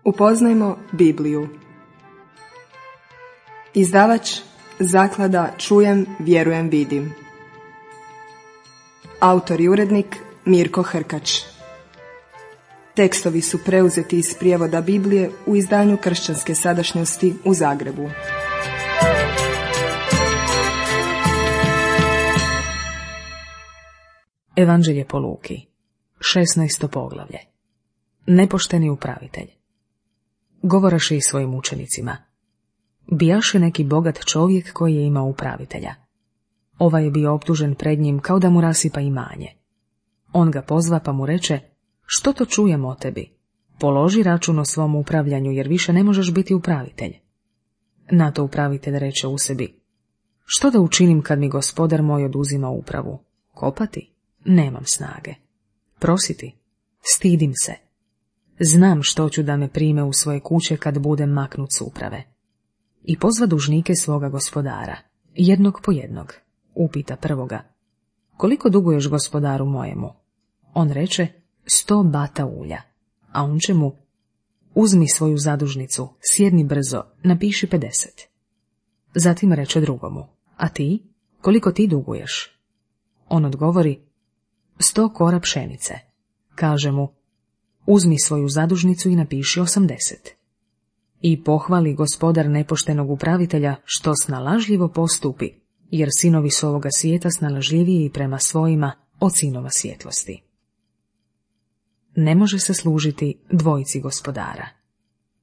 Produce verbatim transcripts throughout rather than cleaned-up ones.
Upoznajmo Bibliju. Izdavač Zaklada Čujem, vjerujem, vidim. Autor i urednik Mirko Hrkač. Tekstovi su preuzeti iz prijevoda Biblije u izdanju Kršćanske sadašnjosti u Zagrebu. Evanđelje po Luki, šesnaesto poglavlje. Nepošteni upravitelj. Govoraše i svojim učenicima. Bijaše neki bogat čovjek koji je imao upravitelja. Ovaj je bio optužen pred njim kao da mu rasipa imanje. On ga pozva pa mu reče: što to čujem o tebi? Položi račun o svom upravljanju, jer više ne možeš biti upravitelj. Na to upravitelj reče u sebi: što da učinim kad mi gospodar moj oduzima upravu? Kopati? Nemam snage. Prositi? Stidim se. Znam što ću da me prime u svoje kuće kad budem maknut s uprave. I pozva dužnike svoga gospodara, jednog po jednog. Upita prvoga: koliko duguješ gospodaru mojemu? On reče: sto bata ulja. A on će mu: uzmi svoju zadužnicu, sjedni brzo, napiši pedeset. Zatim reče drugomu: a ti, koliko ti duguješ? On odgovori: sto kora pšenice. Kaže mu: uzmi svoju zadužnicu i napiši osamdeset. I pohvali gospodar nepoštenog upravitelja što snalažljivo postupi, jer sinovi su ovoga svijeta snalažljiviji prema svojima od sinova svjetlosti. Ne može se služiti dvojici gospodara.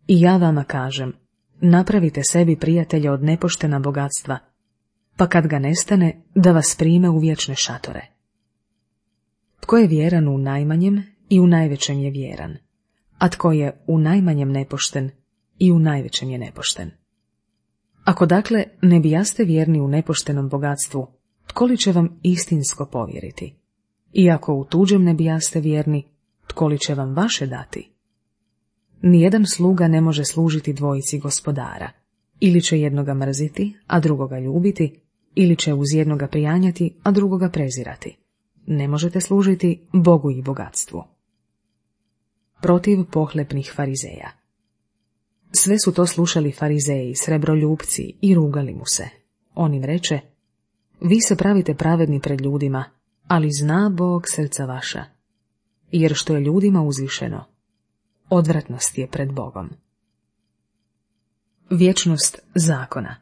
I ja vama kažem, napravite sebi prijatelja od nepoštena bogatstva, pa kad ga nestane, da vas prime u vječne šatore. Tko je vjeran u najmanjem, i u najvećem je vjeran, a tko je u najmanjem nepošten, i u najvećem je nepošten. Ako dakle ne bijaste vjerni u nepoštenom bogatstvu, tko li će vam istinsko povjeriti? I ako u tuđem ne bijaste vjerni, tko li će vam vaše dati? Nijedan sluga ne može služiti dvojici gospodara, ili će jednoga mrziti, a drugoga ljubiti, ili će uz jednoga prijanjati, a drugoga prezirati. Ne možete služiti Bogu i bogatstvu. Protiv pohlepnih farizeja. Sve su to slušali farizeji, srebroljupci, i rugali mu se. On im reče: vi se pravite pravedni pred ljudima, ali zna Bog srca vaša, jer što je ljudima uzvišeno, odvratnost je pred Bogom. Vječnost zakona.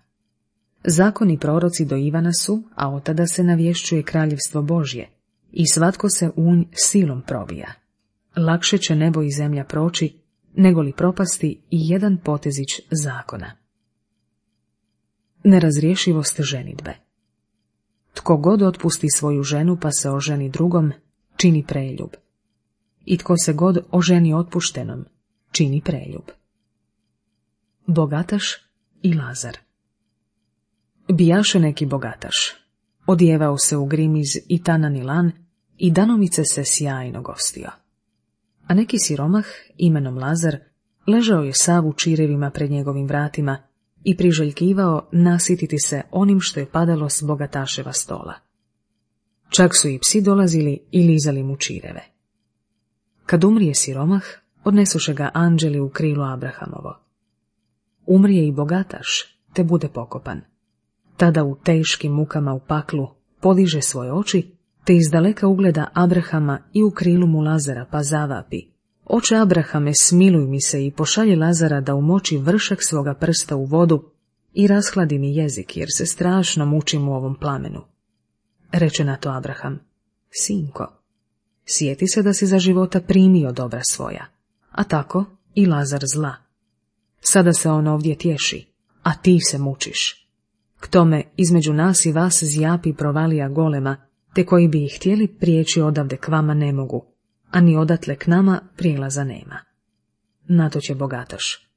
Zakon i proroci do Ivana su, a od tada se navješćuje kraljevstvo Božje, i svatko se u nj silom probija. Lakše će nebo i zemlja proći, nego li propasti i jedan potezić zakona. Nerazrješivost ženidbe. Tko god otpusti svoju ženu pa se oženi drugom, čini preljub. I tko se god oženi otpuštenom, čini preljub. Bogataš i Lazar. Bijaše neki bogataš. Odjevao se u grimiz i tanan i lan i danovice se sjajno gostio. A neki siromah, imenom Lazar, ležao je sav u čirevima pred njegovim vratima i priželjkivao nasititi se onim što je padalo s bogataševa stola. Čak su i psi dolazili i lizali mu čireve. Kad umrije siromah, odnesuše ga anđeli u krilo Abrahamovo. Umrije i bogataš, te bude pokopan. Tada u teškim mukama u paklu podiže svoje oči, te izdaleka ugleda Abrahama i u krilu mu Lazara, pa zavapi: oče Abrahame, smiluj mi se i pošalji Lazara da umoči vršak svoga prsta u vodu i rashladi mi jezik, jer se strašno mučim u ovom plamenu. Reče na to Abraham: sinko, sjeti se da si za života primio dobra svoja, a tako i Lazar zla. Sada se on ovdje tješi, a ti se mučiš. K tome između nas i vas zjapi provalija golema, te koji bi ih htjeli prijeći odavde k vama ne mogu, a ni odatle k nama prijelaza nema. Na to će bogataš: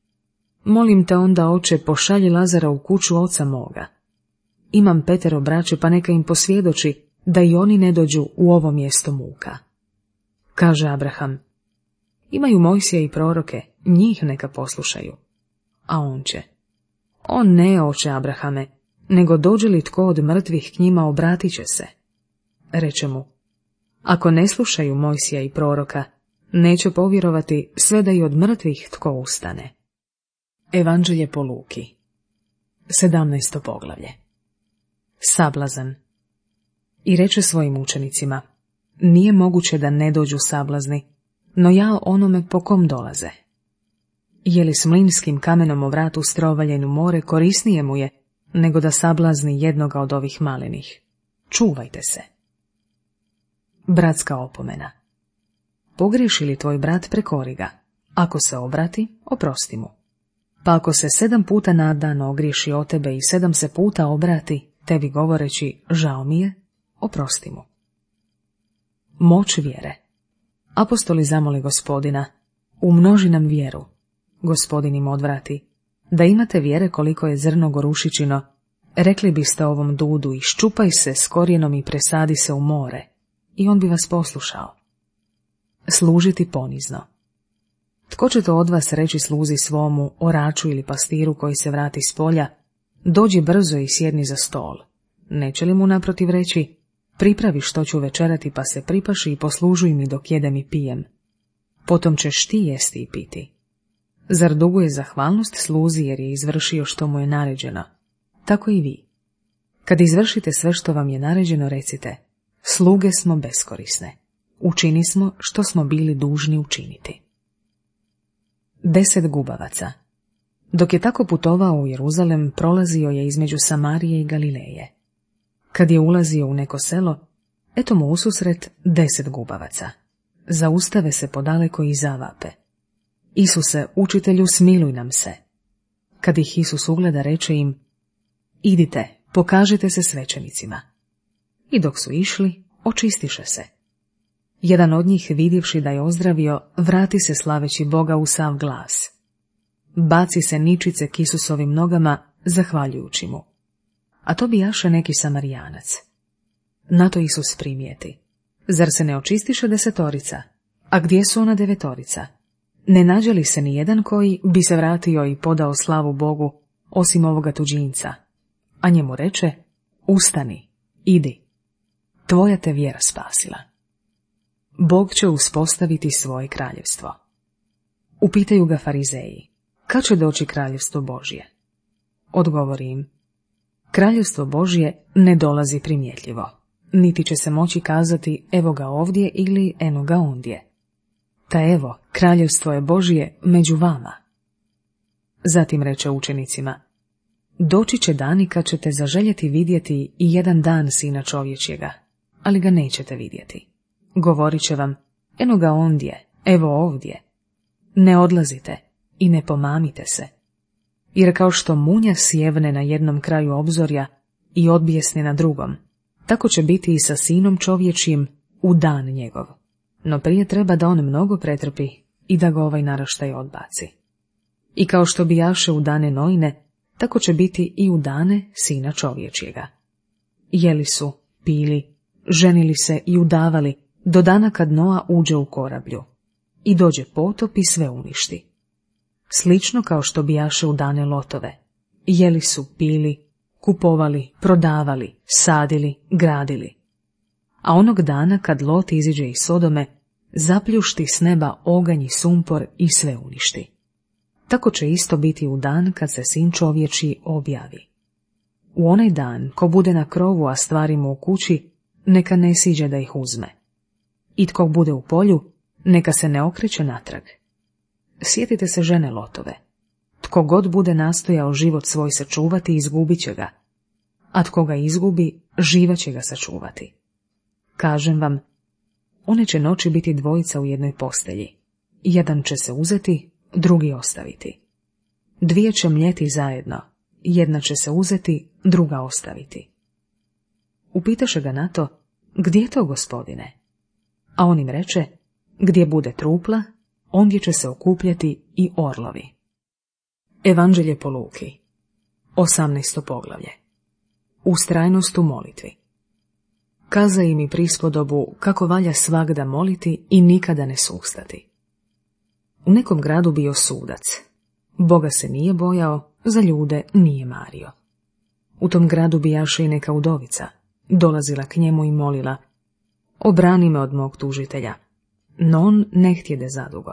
molim te onda, oče, pošalji Lazara u kuću oca moga. Imam petero braće, pa neka im posvjedoči da i oni ne dođu u ovo mjesto muka. Kaže Abraham: imaju Mojsija i proroke, njih neka poslušaju. A on će: on ne, oče Abrahame, nego dođe li tko od mrtvih k njima, obratit će se. Reče mu: ako ne slušaju Mojsija i proroka, Neće povjerovati sve da i od mrtvih tko ustane. Evanđelje po Luki, sedamnaesto poglavlje. Sablazan. I reče svojim učenicima: nije moguće da ne dođu sablazni, no ja onome po kom dolaze. Je li s mlinskim kamenom o vratu strovaljen u more korisnije mu je, nego da sablazni jednoga od ovih malenih? Čuvajte se. Bratska opomena. Pogriješi li tvoj brat, prekori ga. Ako se obrati, oprosti mu. Pa ako se sedam puta na dan ogriješi o tebe i sedam se puta obrati, tebi govoreći žao mi je, oprosti mu. Moć vjere. Apostoli zamoli Gospodina: umnoži nam vjeru. Gospodin im odvrati: da imate vjere koliko je zrno gorušičino, rekli biste ovom dudu: iščupaj se s korijenom i presadi se u more, i on bi vas poslušao. Služiti ponizno. Tko će to od vas reći sluzi svomu, oraču ili pastiru koji se vrati s polja: dođi brzo i sjedni za stol? Neće li mu naprotiv reći: pripravi što ću večerati, pa se pripaši i poslužuj mi dok jedem i pijem? Potom ćeš ti jesti i piti. Zar duguje zahvalnost sluzi jer je izvršio što mu je naređeno? Tako i vi. Kad izvršite sve što vam je naređeno, recite: sluge smo beskorisne. Učini smo što smo bili dužni učiniti. Deset gubavaca. Dok je tako putovao u Jeruzalem, prolazio je između Samarije i Galileje. Kad je ulazio u neko selo, eto mu ususret deset gubavaca. Zaustave se podaleko i zavape: Isuse, učitelju, smiluj nam se. Kad ih Isus ugleda, reče im: idite, pokažite se svećenicima. I dok su išli, očistiše se. Jedan od njih, vidjevši da je ozdravio, vrati se slaveći Boga u sav glas. Baci se ničice k Isusovim nogama, zahvaljujući mu. A to bijaše neki Samarijanac. Na to Isus primijeti: zar se ne očistiše desetorica? A gdje su ona devetorica? Ne nađe li se ni jedan koji bi se vratio i podao slavu Bogu, osim ovoga tuđinca? A njemu reče: ustani, idi, tvoja te vjera spasila. Bog će uspostaviti svoje kraljevstvo. Upitaju ga farizeji: kad će doći kraljevstvo Božje? Odgovori im: kraljevstvo Božje ne dolazi primjetljivo, niti će se moći kazati evo ga ovdje ili eno ga ondje. Ta evo, kraljevstvo je Božje među vama. Zatim reče učenicima: doći će dani kad ćete zaželjeti vidjeti i jedan dan Sina čovječjega, ali ga nećete vidjeti. Govorit će vam: eno ga ondje, evo ovdje. Ne odlazite i ne pomamite se. Jer kao što munja sjevne na jednom kraju obzorja i odbijesne na drugom, tako će biti i sa Sinom čovječjim u dan njegov. No prije treba da on mnogo pretrpi i da ga ovaj naraštaj odbaci. I kao što bijaše u dane Noine, tako će biti i u dane Sina čovječjega. Jeli su, pili, ženili se i udavali, do dana kad Noa uđe u korablju. I dođe potop i sve uništi. Slično kao što bijaše u dane Lotove. Jeli su, pili, kupovali, prodavali, sadili, gradili. A onog dana kad Lot iziđe iz Sodome, zapljušti s neba oganj i sumpor i sve uništi. Tako će isto biti u dan kad se Sin čovječji objavi. U onaj dan, ko bude na krovu, a stvari mu u kući, neka ne siđe da ih uzme. I tko bude u polju, neka se ne okreće natrag. Sjetite se žene Lotove. Tko god bude nastojao život svoj sačuvati, izgubit će ga, a tko ga izgubi, živa će ga sačuvati. Kažem vam, one će noći biti dvojica u jednoj postelji. Jedan će se uzeti, drugi ostaviti. Dvije će mljeti zajedno, jedna će se uzeti, druga ostaviti. Upitaše ga na to: gdje je to, Gospodine? A on im reče: gdje bude trupla, ondje će se okupljati i orlovi. Evanđelje po Luki, osamnaesto poglavlje. Ustrajnost u molitvi. Kaza im i prispodobu kako valja svagda moliti i nikada ne sustati. U nekom gradu bio sudac. Boga se nije bojao, za ljude nije mario. U tom gradu bijaše i neka udovica. Dolazila k njemu i molila: obrani me od mog tužitelja. no on ne htjede zadugo.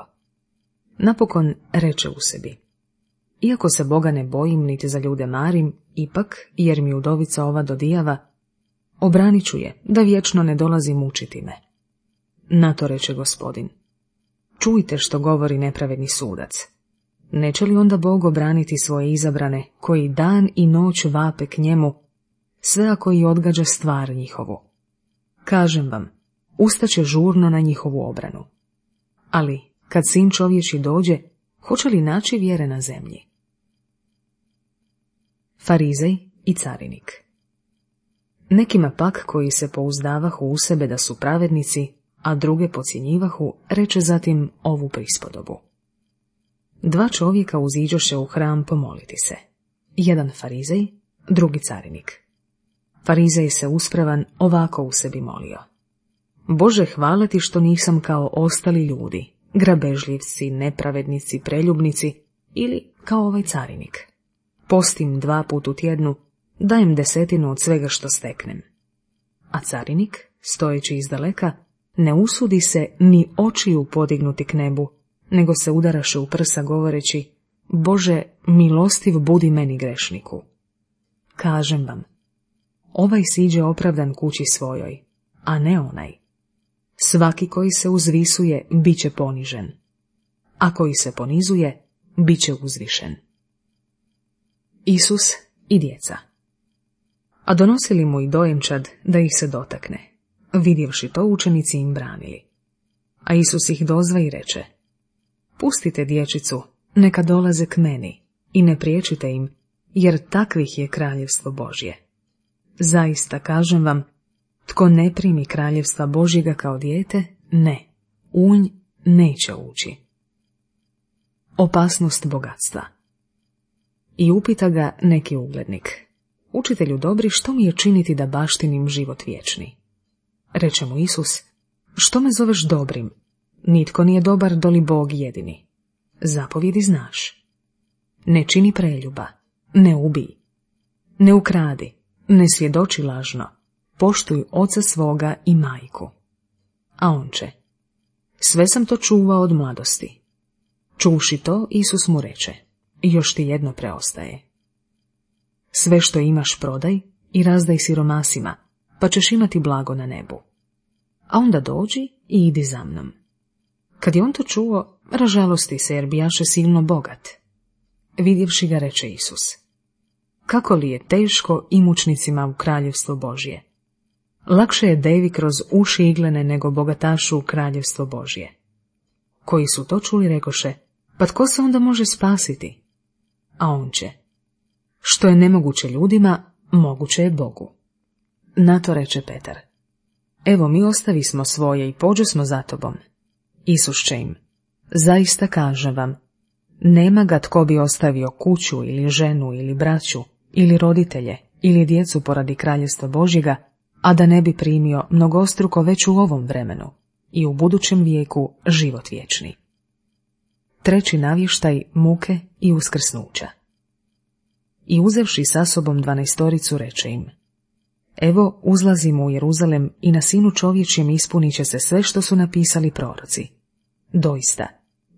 Napokon reče u sebi: iako se Boga ne bojim, niti za ljude marim, ipak, jer mi udovica ova dodijava, obranit ću je, da vječno ne dolazi mučiti me. Na to reče Gospodin: čujte što govori nepravedni sudac. Neće li onda Bog obraniti svoje izabrane, koji dan i noć vape k njemu, sve ako i odgađa stvar njihovu? Kažem vam, ustaće žurno na njihovu obranu. Ali, kad sin čovječi dođe, hoće li naći vjere na zemlji? Farizej i carinik. Nekima pak, koji se pouzdavahu u sebe da su pravednici, a druge podcjenjivahu, reče zatim ovu prispodobu. Dva čovjeka uziđoše u hram pomoliti se. Jedan farizej, drugi carinik. Farizej se uspravan ovako u sebi molio: Bože, hvala ti što nisam kao ostali ljudi, grabežljivci, nepravednici, preljubnici, ili kao ovaj carinik. Postim dva put u tjednu, dajem desetinu od svega što steknem. A carinik, stojeći izdaleka, ne usudi se ni očiju podignuti k nebu, nego se udaraše u prsa govoreći: Bože, milostiv budi meni grešniku. Kažem vam, ovaj siđe opravdan kući svojoj, a ne onaj. Svaki koji se uzvisuje, bit će ponižen, a koji se ponizuje, bit će uzvišen. Isus i djeca. A donosili mu i dojenčad da ih se dotakne. Vidjevši to, učenici im branili. A Isus ih dozva i reče: Pustite dječicu, neka dolaze k meni, i ne priječite im, jer takvih je kraljevstvo Božje. Zaista kažem vam, tko ne primi kraljevstva Božjega kao dijete, ne, u nj neće ući. Opasnost bogatstva. I upita ga neki uglednik: Učitelju dobri, što mi je činiti da baštinim život vječni? Reče mu Isus: Što me zoveš dobrim? Nitko nije dobar doli Bog jedini. Zapovjedi znaš. Ne čini preljuba, ne ubij, ne ukradi, ne svjedoči lažno, poštuj oca svoga i majku. A on će: Sve sam to čuvao od mladosti. Čuvši to, Isus mu reče: Još ti jedno preostaje. Sve što imaš prodaj i razdaj siromasima, pa ćeš imati blago na nebu. A onda dođi i idi za mnom. Kad je on to čuo, ražalosti se jer bijaše silno bogat. Vidjevši ga, reče Isus: Kako li je teško imućnicima u kraljevstvo Božje? Lakše je devi kroz uši iglene nego bogatašu u kraljevstvo Božje. Koji su to čuli, rekoše: Pa tko se onda može spasiti? A on će: Što je nemoguće ljudima, moguće je Bogu. Na to reče Petar: Evo, mi ostavismo svoje i pođosmo za tobom. Isus će im: Zaista kažem vam, nema ga tko bi ostavio kuću ili ženu ili braću ili roditelje ili djecu poradi kraljevstva Božjega, a da ne bi primio mnogostruko već u ovom vremenu i u budućem vijeku život vječni. Treći navještaj muke i uskrsnuća. I uzevši sa sobom dvanaestoricu, reče im: Evo, uzlazimo u Jeruzalem i na sinu čovječjem ispunit će se sve što su napisali proroci. Doista,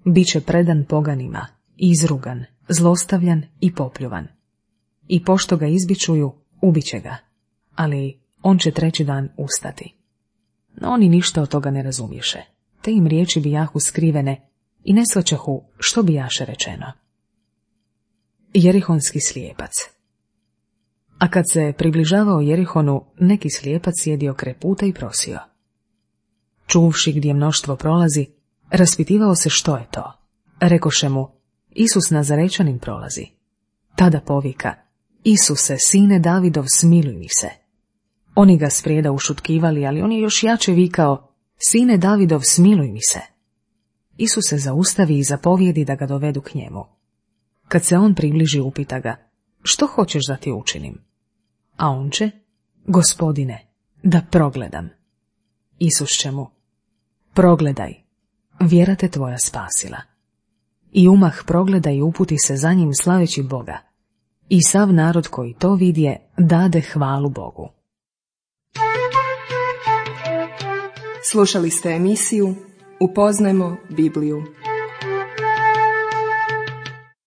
bit će predan poganima, izrugan, zlostavljan i popljuvan. I pošto ga izbičuju, ubit će ga, ali on će treći dan ustati. No oni ništa od toga ne razumješe, te im riječi bijahu skrivene i ne shvaćahu što bijaše rečeno. Jerihonski slijepac. A kad se približavao Jerihonu, neki slijepac sjedio kraj puta i prosio. Čuvši gdje mnoštvo prolazi, raspitivao se što je to. Rekoše mu: Isus Nazarečanin prolazi. Tada povika: Isuse, sine Davidov, smiluj mi se. Oni ga sprijeda ušutkivali, ali on je još jače vikao: Sine Davidov, smiluj mi se. Isus se zaustavi i zapovjedi da ga dovedu k njemu. Kad se on približi, upita ga: Što hoćeš da ti učinim? A on će: Gospodine, da progledam. Isus će mu: Progledaj, vjera te tvoja spasila. I umah progleda i uputi se za njim slaveći Boga. I sav narod koji to vidje dade hvalu Bogu. Slušali ste emisiju Upoznajmo Bibliju.